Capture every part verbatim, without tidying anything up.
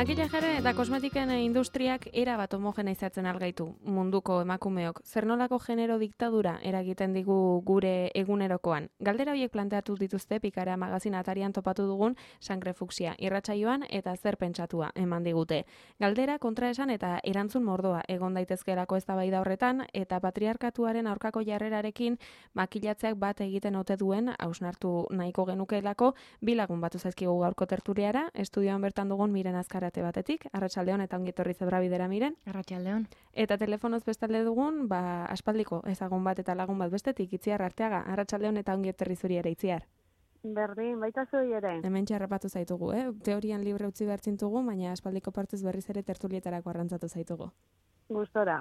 Makillajere eta kosmetiken industriak era bat homogeneizatzen algaitu munduko emakumeok. Zer nolako genero diktadura eragiten digu gure egunerokoan. Galdera horiek planteatu dituzte Pikara magazin atarian topatu dugun Sangre Fuksia irratsaioan eta zer pentsatua eman digute. Galdera kontraesan eta erantzun mordoa egon daitezkeelako eztabaida horretan eta patriarkatuaren aurkako jarrerarekin makillatzeak bat egiten ote duen hausnartu nahiko genukeelako bi lagun batu zaizkigu gaurko tertuliara, estudioan bertan dugun Miren Azkarate batetik, arratsaldeon eta ongi etorri Zebrabidera Miren. Arratsaldeon. Eta telefonoz bestalde dugun, ba aspaldiko ezagun bat eta lagun bat bestetik, Itziar Arteaga, arratsaldeon eta ongi etorri zuri ere, Itziar. Berdin, baita zui ere. Hemen txarrapatu zaitugu, eh? Teorian libre utzi behar zintugu, baina aspaldiko partez berriz ere tertulietarako arrantzatu zaitugu. Gustora.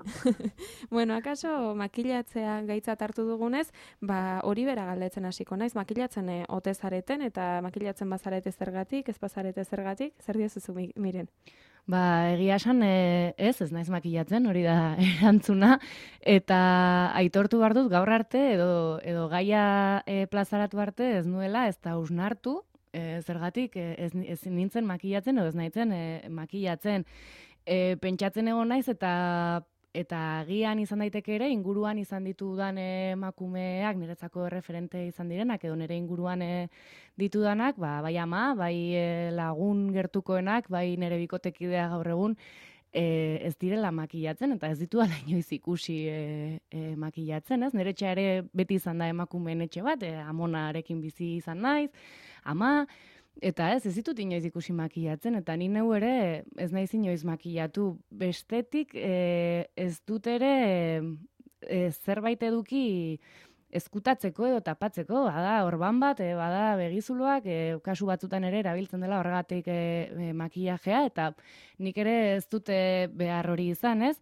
Bueno, akaso makillatzea gaitzat hartu dugunez, ba hori bera galdetzen hasiko naiz, makillatzen e, ote zareten eta makillatzen bazarete zergatik, ez bazarete zergatik, zer diozuzu Miren? Ba, egia esan e, ez, ez naiz makillatzen, hori da erantzuna, eta aitortu behar dut gaur arte edo, edo gaia e, plazaratu arte ez nuela, ez da hausnartu, e, zergatik e, ez, ez nintzen makillatzen edo ez naitzen e, makillatzen. E, pentsatzen egon naiz eta eta agian izan daiteke ere inguruan izan ditudan emakumeak niretzako referente izan direnak edo nire inguruan e, ditudanak, ba, bai ama, bai e, lagun gertukoenak, bai nire bikotekidea gaur egun e, ez direla makillatzen eta ez ditudala inoiz ikusi e, e, makillatzen, ez? Nire etxea ere beti izan da emakumeen etxe bat, e, amonarekin bizi izan naiz, ama. Eta ez, ez ditut inoiz ikusi makillatzen, eta ni neu ere ez naiz inoiz makillatu. Bestetik e, ez dut ere e, zerbait eduki ezkutatzeko edo tapatzeko, bada orban bat, e, bada begizuloak, e, kasu batzutan ere erabiltzen dela horregatik e, e, makillajea, eta nik ere ez dute behar hori izan, ez?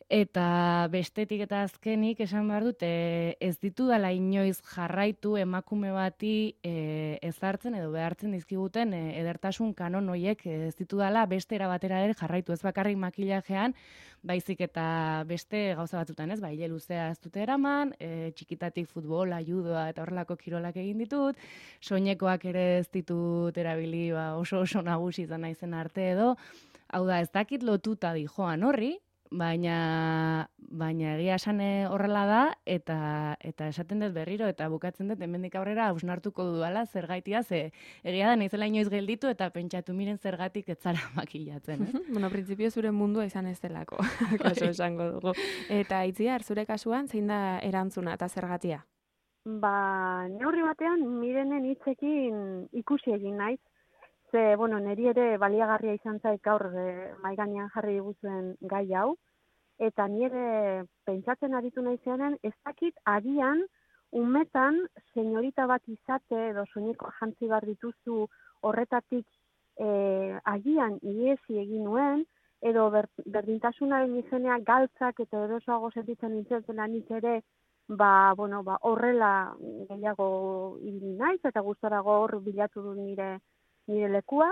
Eta bestetik eta azkenik esan behar dut, e, ez ditudala inoiz jarraitu emakume bati e, ezartzen edo behartzen dizkiguten e, edertasun kanon horiek ez ditudala beste era batera ere jarraitu. Ez bakarrik makillajean, baizik eta beste gauza batzutan, ez? Ba, hile luzea ez dute eraman, e, txikitatik futbola, judoa eta horrelako kirolak egin ditut, soinekoak ere ez ditut erabili ba, oso oso nagusi izan naizen arte edo, hau da, ez dakit lotuta di joan horri, baina baina egia esan horrela da eta eta esaten dut berriro eta bukatzen dut hemendik aurrera hausnartuko dudala zergaitia ze egia da naizela inoiz gelditu eta pentsatu Miren zergatik ez zara makillatzen, ez? Bueno, printzipio zure mundua izan ez delako, kaso esango dugu. Eta Itziar, zure kasuan zein da erantzuna eta zergatia? Ba, neurri batean Mirenen hitzekin ikusi egin naiz. Ze, bueno, niri ere baliagarria izan zait gaur e, mahai gainean jarri diguzuen gai hau, eta nire pentsatzen aritu naizean ez dakit agian umetan senyorita bat izate edo soineko jantzi behar dituzu horretatik e, agian iesi egin nuen, edo ber, berdintasunaren izenean galtzak eta erosoago sentitzen nintzen nik ere, ba, bueno, ba, horrela gehiago ibili naiz eta gustorago hor bilatu du nire nire lekua,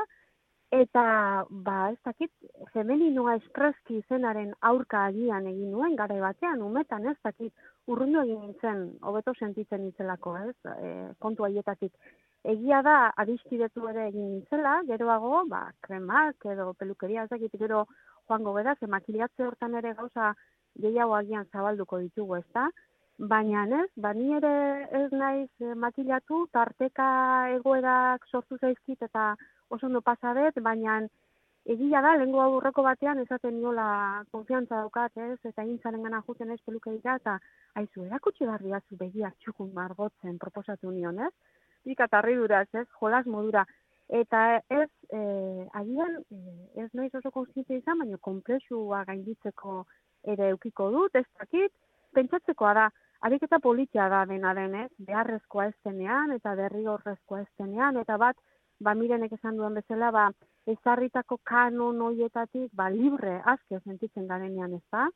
eta, ba, ez dakit, femeninoa espreski izenaren aurka agian egin nuen, garai batean, umetan, ez dakit, urrundu egin nintzen, hobeto sentitzen nintzelako, ez, e, kontu haietatik. Egia da, adiskidetu ere egin nintzela, geroago, ba, kremak edo pelukeria, ez dakit, gero joango gara, ze makilatze hortan ere gauza gehiago agian zabalduko ditugu, ez da, baina ez, ba, ni ere ez naiz eh, makillatu, tarteka egoerak sortu zaizkit eta oso ondo pasadet, baina egia da, lehengo aurreko batean esaten niola konfiantza daukat, ez, eta intzaren gana juten ez pelukeria, eta aizu, erakutsi behar diazu begiak txukun margotzen proposatu nion, ez? Pika tarriduraz, ez, jolas modura. Eta ez, eh, agian, eh, ez naiz oso konstientzia izan, baina konplexua gainditzeko ere eukiko dut, ez dakit, pentsatzekoa da, ariketa politia da dena denez, beharrezkoa ez denean eta derrigorrezkoa ez denean, eta bat, ba, Mirenek esan duen bezala, ba, ezarritako kanon horietatik, ba, libre aske sentitzen garenean, ez da?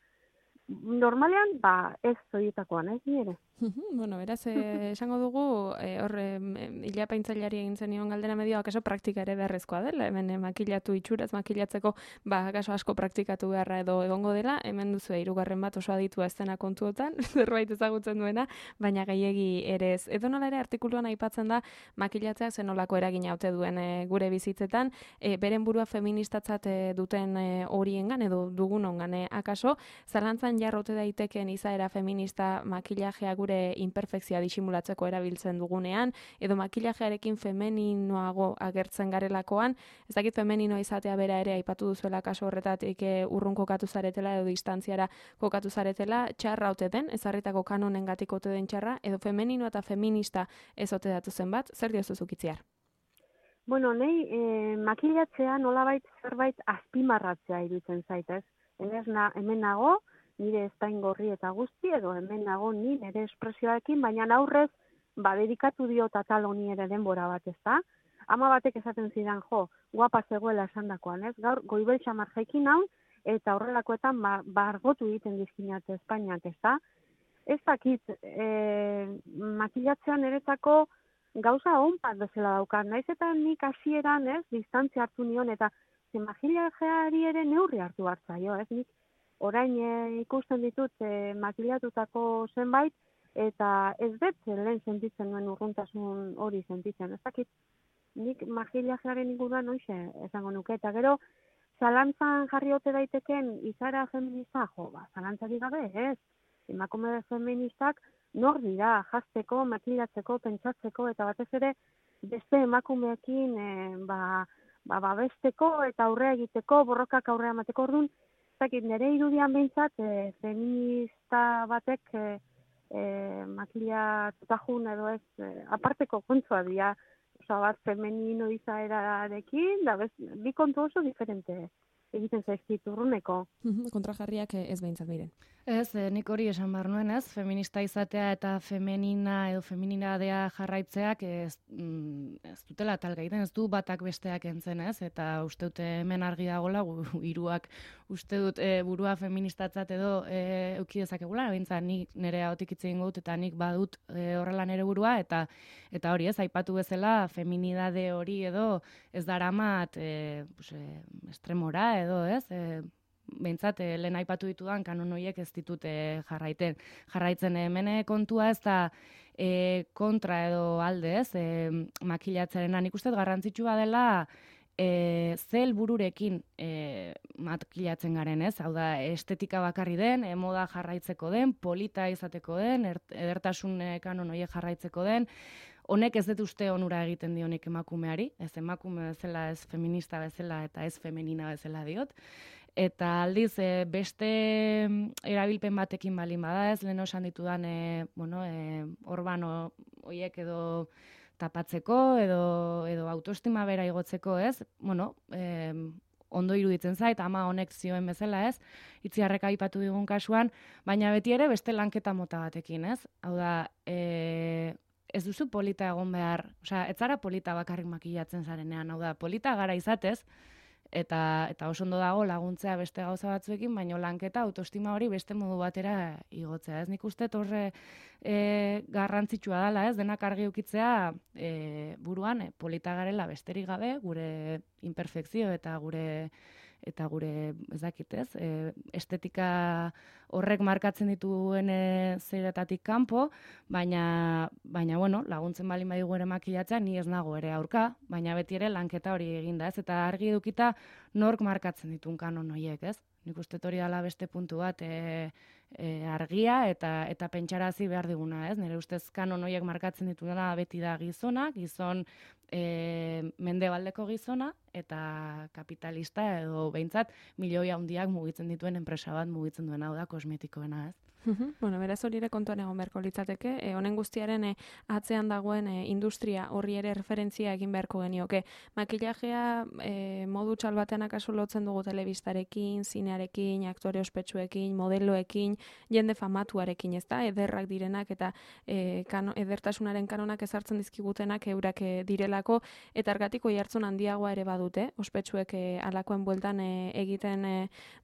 Normalean, ba, ez horietakoan, ez nire. Bueno, beraz, eh, esango dugu, eh, hor, eh, ilapaintzaileari egin zenion galdera medio, akaso praktika ere beharrezkoa dela, hemen eh, makilatu itxuraz, makilatzeko, ba, akaso asko praktikatu beharra edo egongo dela, hemen duzu hirugarren bat oso aditua ez dena kontuotan, zerbait ezagutzen duena, baina gehiegi ere ez. Edo nola ere artikuluan aipatzen da, makilatzeak zenolako eragina ote duen eh, gure bizitzetan, eh, beren burua feministatzat eh, duten eh, horiengan edo dugunongan, eh, akaso, zalantzan jarrote daitekeen izaera feminista makilajea gure imperfekzioa disimulatzeko erabiltzen dugunean, edo makilajearekin femeninoago agertzen garelakoan, ez dakit femenino izatea bera ere aipatu duzuela kaso horretatik e, urrun kokatu zaretela edo distantziara kokatu zaretela, txarra ote den, ezarritako kanonengatik ote den txarra, edo femenino eta feminista ez ote datu zen bat, zer diozu zukitziar? Bueno, nahi, e, makilatzea nolabait zerbait azpimarratzea iruditzen zaitez. Na, hemen nago, nire estain gorri eta guzti, edo hemen nago ni nire espresioarekin, baina aurrez, ba, dedikatu diot atal honi ere denbora bat, ez da? Ama batek esaten zidan, jo, guapa zegoela esandakoan, ez? Gaur, goibel xamar jaikin hau, eta horrelakoetan, ba, bargotu egiten dizkinat Espainiak, ez da? Ez dakit, e, makilatzean eretako gauza honpat bezala daukat, naiz eta nik hasieran, ez, distantzia hartu nion, eta makilajeari ere neurri hartu hartzaio, ez, nik orain e, ikusten ditut e, makilatutako zenbait, eta ez dut lehen sentitzen duen urruntasun hori sentitzen. Ez dakit, nik makilajearen inguruan hoxe esango nuke, eta gero, zalantzan jarri ote daiteken izara feminista, jo, ba, zalantzarik gabe, ez, emakume feministak nor dira jazteko, makilatzeko, pentsatzeko, eta batez ere beste emakumeekin e, ba, ba, babesteko eta aurrea egiteko, borrokak aurrea emateko orduan, zakit, nire irudian behintzat, e, feminista batek e, e, makilatutajun edo ez, e, aparteko kontua dira, oza bat femenino izaerarekin, da bez, bi kontu oso diferente egiten zaizkit urruneko. Kontrajarriak ez behintzat miren. Ez, nik hori esan behar nuen, ez, feminista izatea eta femenina edo femininadea jarraitzeak ez, mm, ez dutela talga egiten, ez du batak besteak entzen, ez, eta uste dute hemen argi dagoela, gu hiruak uste dut e, burua feministatzat edo e, euki dezakegula, bintzat nik nire ahotik hitz egingo dut eta nik badut e, horrela nire burua, eta eta hori ez, aipatu bezala feminidade hori edo ez daramat e, pues, e, estremora edo ez, e, behintzat, lehen aipatu ditudan kanon horiek ez ditute jarraiten. Jarraitzen hemen kontua ez da e, kontra edo alde ez, e, makilatzearena. Nik uste garrantzitsua dela e, ze helbururekin e, makilatzen garen ez, hau da estetika bakarri den, e, moda jarraitzeko den, polita izateko den, er, edertasun kanon horiek jarraitzeko den, honek ez dut uste onura egiten dionik emakumeari, ez emakume bezala, ez feminista bezala eta ez femenina bezala diot. Eta aldiz, e, beste erabilpen batekin balin bada ez, lehen osan ditudan, e, bueno, e, orban horiek edo tapatzeko, edo, edo autoestima bera igotzeko ez, bueno, e, ondo iruditzen zait, ama honek zioen bezala ez, itziarrek aipatu digun kasuan, baina beti ere beste lanketa mota batekin ez, hau da, e, ez duzu polita egon behar, osea, ez zara polita bakarrik makilatzen zarenean, hau da, polita gara izatez, eta eta oso ondo dago laguntzea beste gauza batzuekin, baina lanketa autoestima hori beste modu batera igotzea. Ez nik uste horre e, garrantzitsua dela, ez denak argi ukitzea e, buruan e, polita garela besterik gabe, gure imperfekzio eta gure eta gure, ez dakit ez, e, estetika horrek markatzen dituen e, zeiretatik kanpo, baina, baina bueno, laguntzen balin badigu ere makilatzea, ni ez nago ere aurka, baina beti ere lanketa hori eginda, ez, eta argi edukita nork markatzen ditun kanon horiek, ez? Nik uste hori dela beste puntu bat e, e, argia eta eta pentsarazi behar diguna, ez? Nire ustez kanon horiek markatzen dituna beti da gizona, gizon e, mendebaldeko gizona, eta kapitalista edo behintzat milioi handiak mugitzen dituen enpresa bat mugitzen duena, hau da kosmetikoena, ez? Bueno, beraz hori ere kontuan egon beharko litzateke, e, honen guztiaren e, atzean dagoen e, industria horri ere referentzia egin beharko genioke. Makillajea e, modu txal batean akaso lotzen dugu telebistarekin, zinearekin, aktore ospetsuekin, modeloekin, jende famatuarekin, ezta? Ederrak direnak eta e, kano, edertasunaren kanonak ezartzen dizkigutenak eurak e, direlako, eta argatiko jartzun handiagoa ere badute, ospetsuek e, alakoen bueltan e, egiten e,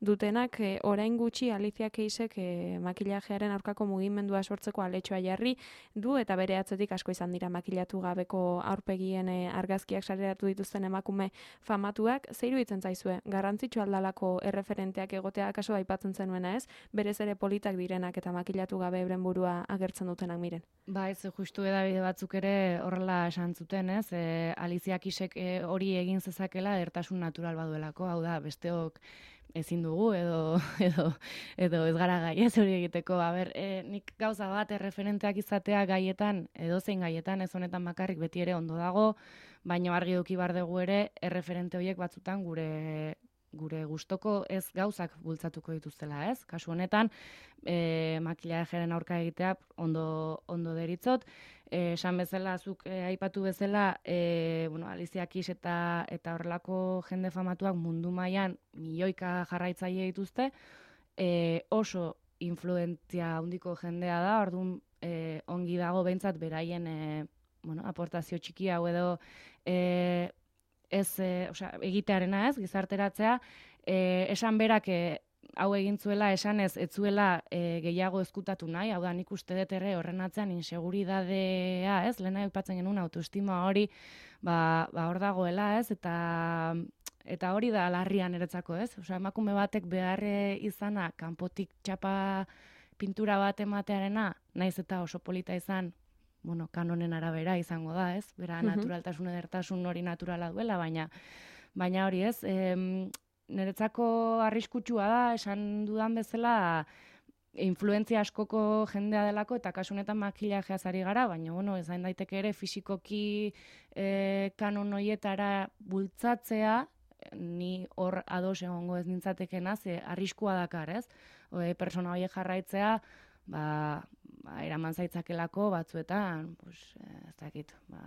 dutenak, e, orain gutxi Alicia Keysek e, makillajea makillajearen aurkako mugimendua sortzeko aletxoa jarri du eta bere atzetik asko izan dira makillatu gabeko aurpegien e, argazkiak sareratu dituzten emakume famatuak. Zer iruditzen zaizue? Garrantzitsu aldalako erreferenteak egotea akaso aipatzen zenuena, ez? Berez ere politak direnak eta makillatu gabe euren burua agertzen dutenak miren. Ba, ez justu edabide batzuk ere horrela esan zuten, ez? E, Alicia Keysek e, hori egin zezakela edertasun natural baduelako, hau da, besteok ezin dugu edo edo edo ez gara gai ez hori egiteko. A ber, e, nik gauza bat erreferenteak izatea gaietan, edozein gaietan, ez honetan bakarrik beti ere ondo dago, baina argi eduki bar dugu ere erreferente horiek batzutan gure gure gustoko ez gauzak bultzatuko dituztela, ez? Kasu honetan, e, makillajeren aurka egitea ondo ondo deritzot. Eh, esan bezala, zuk eh, aipatu bezala, eh, bueno, Alicia Keys eta eta horrelako jende famatuak mundu mailan milioika jarraitzaile dituzte, eh, oso influentzia handiko jendea da, orduan eh, ongi dago behintzat beraien eh, bueno, aportazio txiki hau edo eh, ez, eh, osea, egitearena ez, gizarteratzea, eh, esan berak eh, hau egin zuela esan ez, ez zuela e, gehiago ezkutatu nahi, hau da nik uste dut ere horren atzean inseguridadea, ez, lehena aipatzen genuen autoestima hori, ba, ba hor dagoela, ez, eta eta hori da larria niretzako, ez, osea, emakume batek beharre izana kanpotik txapa pintura bat ematearena, naiz eta oso polita izan, bueno, kanonen arabera izango da, ez, bera naturaltasun edertasun hori naturala duela, baina baina hori ez, em, niretzako arriskutsua da, esan dudan bezala, influentzia askoko jendea delako, eta kasu honetan makillajeaz ari gara, baina, bueno, ez daiteke ere fisikoki eh, kanon hoietara bultzatzea, ni hor ados egongo ez nintzatekena, ze arriskua dakar, ez? E, persona horiek jarraitzea, ba, ba, eraman zaitzakelako batzuetan, pues, ez dakit, ba,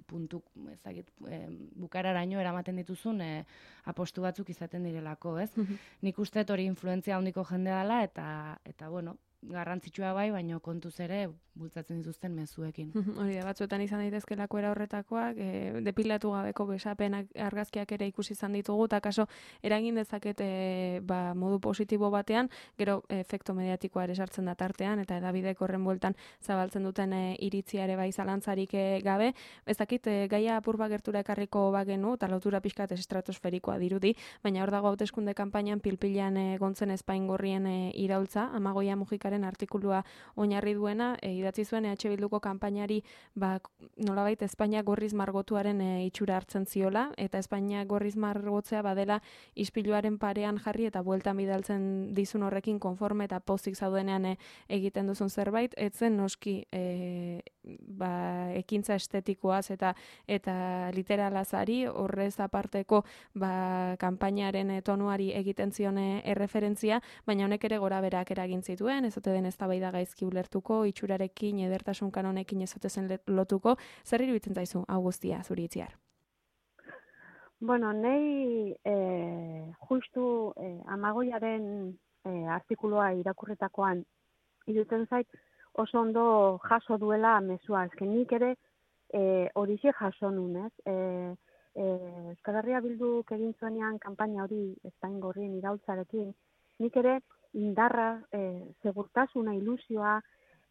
puntu, ez dakit, e, bukararaino eramaten dituzun e, apostu batzuk izaten direlako, ez? Nik uste hori influentzia handiko jendea dela, eta, eta bueno, garrantzitsua bai, baina kontuz ere bultzatzen dituzten mezuekin. Hori da, batzuetan izan daitezkelako era horretakoak, e, depilatu gabeko besapenak argazkiak ere ikusi izan ditugu, eta kaso eragin dezaket e, ba, modu positibo batean, gero efekto mediatikoa ere sartzen da tartean, eta edabidek horren bueltan zabaltzen duten e, iritzia ere bai zalantzarik e, gabe. Ez dakit, e, gaia apur bat gertura ekarriko bagenu, eta lotura pixkat estratosferikoa dirudi, baina hor dago hauteskunde kanpainan pilpilan e, gontzen Espaingorrien e, iraultza, Amagoia Mujikaren artikulua oinarri duena, e, idatzi zuen E H Bilduko kanpainari ba, nolabait Espainia gorriz margotuaren e, itxura hartzen ziola, eta Espainia gorriz margotzea badela ispiluaren parean jarri eta bueltan bidaltzen dizun horrekin konforme eta pozik zaudenean e, egiten duzun zerbait, etzen noski e, ba, ekintza estetikoaz eta eta literalazari, horrez aparteko ba, kanpainaren e, tonuari egiten zion e, erreferentzia, baina honek ere gora berak eragin zituen, ez ote den eztabaida gaizki ulertuko, itxurarekin, edertasun kanonekin ez ote zen lotuko. Zer iruditzen zaizu hau guztia zuri itziar? Bueno, nei eh, justu eh, Amagoiaren eh, artikulua irakurretakoan iruditzen zait oso ondo jaso duela mezua. Ezken nik ere eh, horixe jaso nun, ez? Eh, eh, Euskal Herria Bilduk egin zuenean kanpaina hori Espaingorrien iraultzarekin, nik ere indarra, eh, segurtasuna, ilusioa,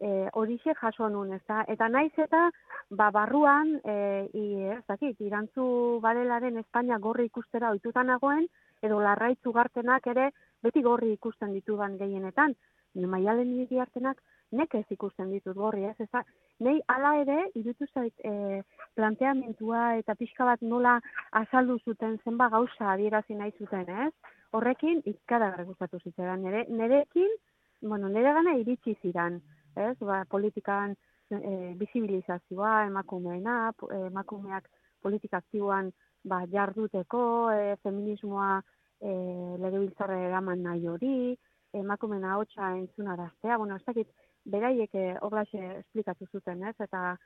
eh, horixe jaso nun, ezta? Eta naiz eta, ba, barruan, eh, ez dakit, irantzu barelaren Espainia gorri ikustera ohituta nagoen, edo Larraitz Ugartenak ere beti gorri ikusten ditudan gehienetan. Ni Maialen Iriartenak nekez ikusten ditut gorri, ez? Eza, nei hala ere, iruditu zait, eh, planteamentua eta pixka bat nola azaldu zuten zenba gauza adierazi nahi zuten, ez? Horrekin, ikaragarri gustatu zitzaidan. Nere, nerekin, bueno, nere gana iritsi zidan, ez? Ba, politikan e, bizibilizazioa, emakumeena, emakumeak politika aktiboan ba, jarduteko, e, feminismoa e, legebiltzarra eraman nahi hori, emakumeena hotxa entzunaraztea, bueno, ez dakit, beraiek horlaxe esplikatu zuten, ez? Eta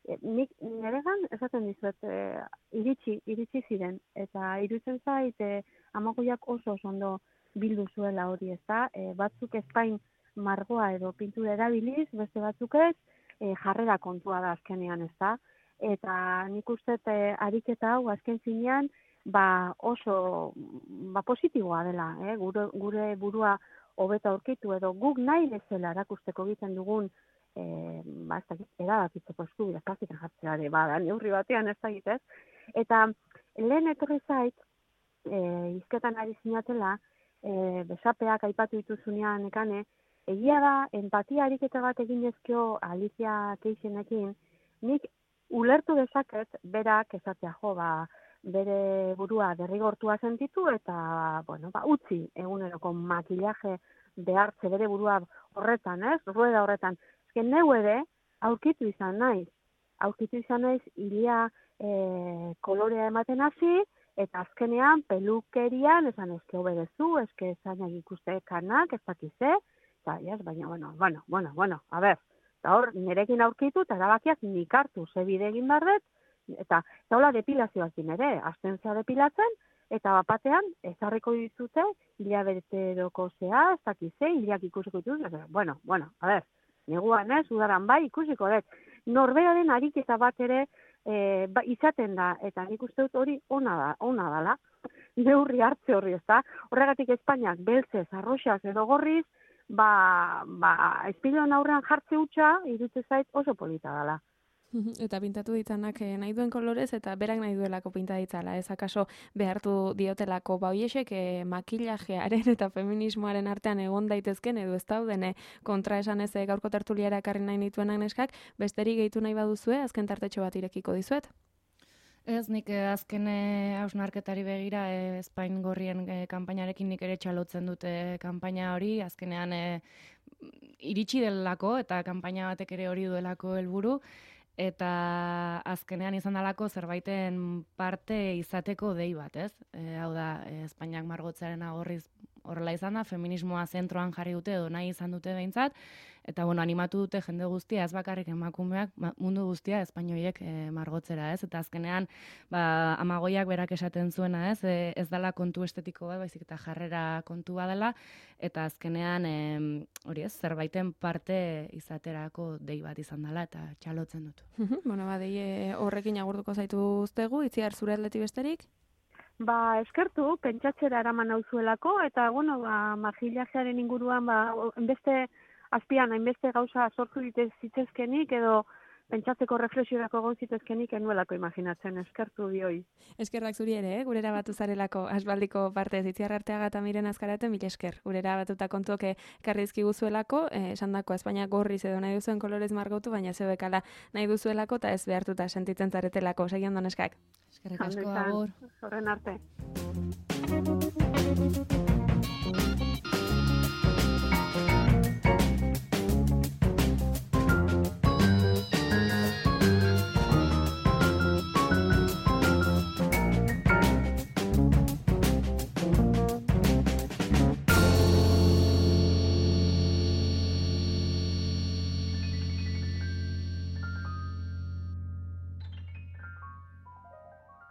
e, nik neregan esaten dizuet e, iritsi, iritsi ziren, eta iruditzen zait e, Amagoiak oso oso ondo bildu zuela hori, ez da? E, batzuk Espain margoa edo pintura erabiliz, beste batzuk ez, e, jarrera kontua da azkenean, ez da? Eta nik uste e, ariketa hau azken zinean, ba oso ba positiboa dela, eh? gure, gure burua hobeto aurkitu edo guk nahi bezala erakusteko egiten dugun eh, ba, ez dakit, erabakitzeko eskubidea praktikan jartzea ere, ba, neurri batean ez dakit, ez? Eta lehen etorri zait, eh, hizketan ari zinatela, eh, besapeak aipatu dituzunean nekane, egia da, empatia ariketa bat egin ezkio Alicia Keixenekin, nik ulertu dezaket berak esatea jo, ba, bere burua derrigortua sentitu eta, bueno, ba, utzi eguneroko makillaje behartze bere burua horretan, ez? Rueda horretan. Ezken neu ere, aurkitu izan naiz. Aurkitu izan naiz, ilia e, kolorea ematen hasi, eta azkenean pelukerian, esan ezke obedezu, ezke zainak ikuste kanak, ez dakize, eta, yes, baina, bueno, bueno, bueno, bueno, a ber, eta hor, nirekin aurkitu, eta erabakiak nik hartu, ze bide egin barret, eta zaula depilazioakin ere, astentzia depilatzen, eta bapatean, ezarriko dituzte, hilabeteroko zea, ez dakize, hilak ikusiko dituz, bueno, bueno, a ber, neguan ez, udaran bai, ikusiko dut, norberaren ariketa bat ere e, ba, izaten da, eta nik uste dut hori ona da, ona dala, neurri hartze horri ez da, horregatik Espainiak beltzez, arroxaz edo gorriz, ba, ba, espilion aurrean jartze hutsa, irutze zait oso polita dala. Eta pintatu ditzanak nahi duen kolorez eta berak nahi duelako pinta ditzala. Ez akaso behartu diotelako bauiesek eh, makillajearen eta feminismoaren artean egon daitezken edo ez dauden kontra esan ez gaurko tertuliara ekarri nahi nituenak neskak, besterik gehitu nahi baduzue, azken tartetxo bat irekiko dizuet. Ez, nik eh, azken hausnarketari begira eh, Espain gorrien eh, kanpainarekin nik ere txalotzen dute kanpaina hori, azkenean eh, iritsi delako eta kanpaina batek ere hori duelako helburu. Eta azkenean izan dalako zerbaiten parte izateko dei bat, ez? E, hau da, e, Espainiak margotzearen agorriz horrela izan da, feminismoa zentroan jarri dute edo nahi izan dute behintzat, eta bueno, animatu dute jende guztia, ez bakarrik emakumeak, mundu guztia espainoiek e, margotzera, ez? Eta azkenean, ba, Amagoiak berak esaten zuena, ez? E, ez dela kontu estetiko bat, baizik eta jarrera kontua dela, eta azkenean, e, hori ez, zerbaiten parte izaterako dei bat izan dela, eta txalotzen dut. Bueno, ba, dei horrekin agurtuko zaituztegu, Itziar zure aldetik besterik? Ba, eskertu, pentsatzera eraman nauzuelako, eta, bueno, ba, makillajearen inguruan, ba, enbeste azpian, hainbeste gauza sortu ditez zitzezkenik, edo pentsatzeko reflexiorako egon zitezkenik enuelako imaginatzen, eskertu bioi. Eskerrak zuri ere, eh? Gurera batu zarelako asbaldiko parte Itziar Arteaga eta Miren Azkaraten mil esker. Gurera batuta kontuoke karrizki guzuelako, eh, esan dako Espainia gorriz edo nahi duzuen kolorez margotu, baina zebekala nahi duzuelako eta ez behartuta sentitzen zaretelako. Segi ondo neskak. Eskerrik asko, agur. Horren arte.